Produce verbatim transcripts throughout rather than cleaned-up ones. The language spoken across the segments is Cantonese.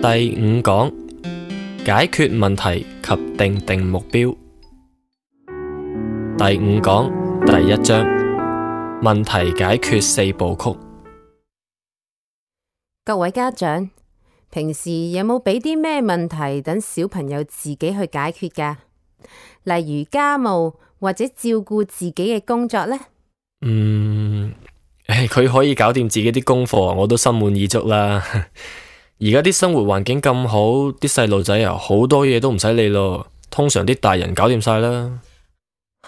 第五講，解決問題及訂定目標。第五講第一章，問題解決四部曲。各位家長，平時有冇俾啲咩問題等小朋友自己去解決㗎？例如家務或者照顧自己嘅工作呢？嗯，佢可以搞掂自己啲功課，我都心滿意足啦。而家啲生活環境咁好，啲細路仔啊，好多嘢都唔使理咯。通常啲大人搞掂晒啦。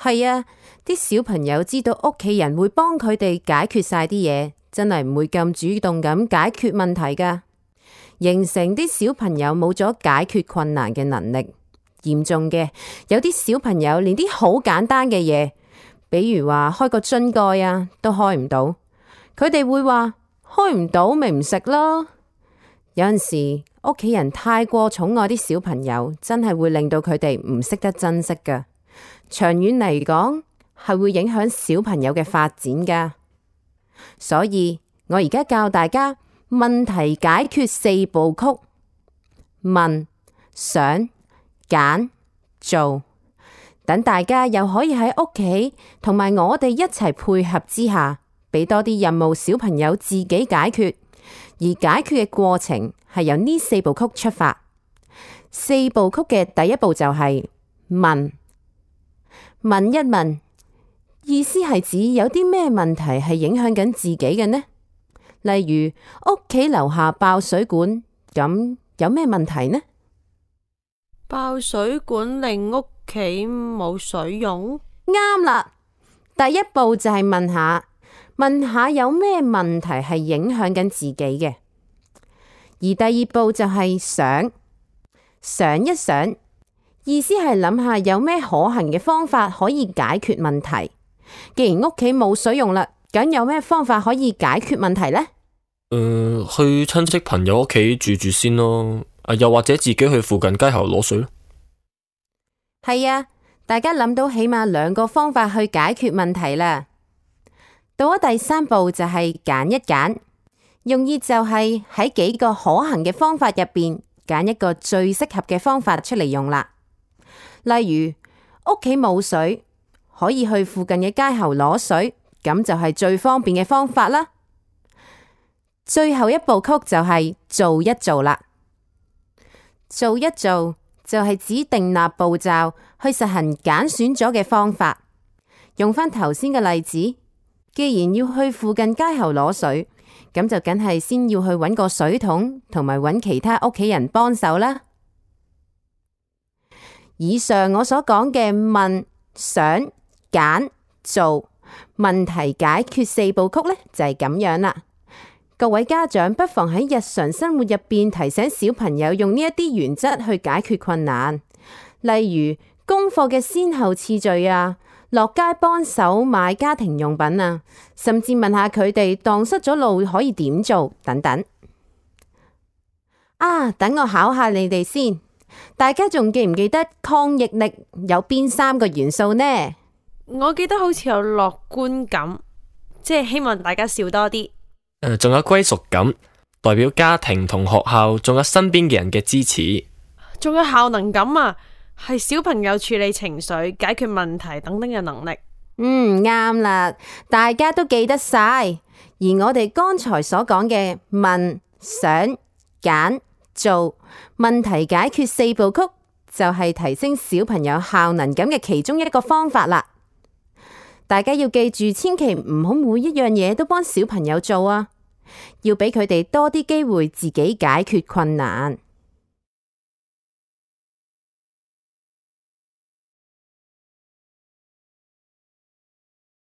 係啊，啲小朋友知道屋企人會幫佢哋解決晒啲嘢，真係唔會咁主動咁解決問題噶，形成啲小朋友冇咗解決困難嘅能力。嚴重嘅，有啲小朋友連啲好簡單嘅嘢，比如話開個樽蓋啊，都開唔到。佢哋會話開唔到咪唔食咯。有陣時屋企人太過寵愛啲小朋友，真係會令到佢哋唔識得珍惜噶。長遠嚟講，係會影響小朋友嘅發展噶。所以我而家教大家問題解決四部曲：問、想、揀、做。等大家又可以喺屋企同埋我哋一齊配合之下，俾多啲任務小朋友自己解決。而解決嘅過程係由呢四部曲出發。四部曲嘅第一步就係問。問一問，意思係指有啲咩問題係影響緊自己嘅呢？例如屋企樓下爆水管，咁有咩問題呢？爆水管令屋企冇水用？啱啦！第一步就係問下，問下有咩問題係影響緊自己嘅。而第二步就係想，想一想，意思係諗下有咩可行嘅方法可以解決問題。既然屋企冇水用啦，咁有咩方法可以解決問題呢？誒、呃，去親戚朋友屋企住住先咯。啊，又或者自己去附近街口攞水咯。係啊，大家諗到起碼兩個方法去解決問題啦。到咗第三步就係揀一揀，用意就係喺幾個可行嘅方法入邊揀一個最適合嘅方法出嚟用啦。例如屋企冇水，可以去附近嘅街口攞水，咁就係最方便嘅方法啦。最後一部曲就係做一做啦。做一做就係指訂立步驟去實行揀選咗嘅方法。用返頭先嘅例子，既然要去附近街口攞水，咁就梗係先要去揾個水桶，同埋揾其他屋企人幫手啦。以上我所講嘅問、想、揀、做問題解決四部曲呢，就係咁樣啦。各位家長不妨喺日常生活入邊提醒小朋友用呢一啲原則去解決困難，例如功課嘅先後次序啊，落街幫手買家庭用品啊，甚至問下佢哋蕩失咗路可以點做等等。啊，等我考下你哋先，大家仲記唔記得抗逆力有邊三個元素呢？我記得好似有樂觀感，即係希望大家笑多啲。誒，仲有歸屬感，代表家庭同學校，仲有身邊嘅人嘅支持。仲有效能感啊，係小朋友處理情緒、解決問題等等嘅能力。嗯，啱啦，大家都記得晒。而我哋剛才所講嘅問、想、揀、做問題解決四部曲，就係提升小朋友效能感嘅其中一個方法啦。大家要記住，千祈唔好每一樣嘢都幫小朋友做啊，要俾佢哋多啲機會自己解決困難。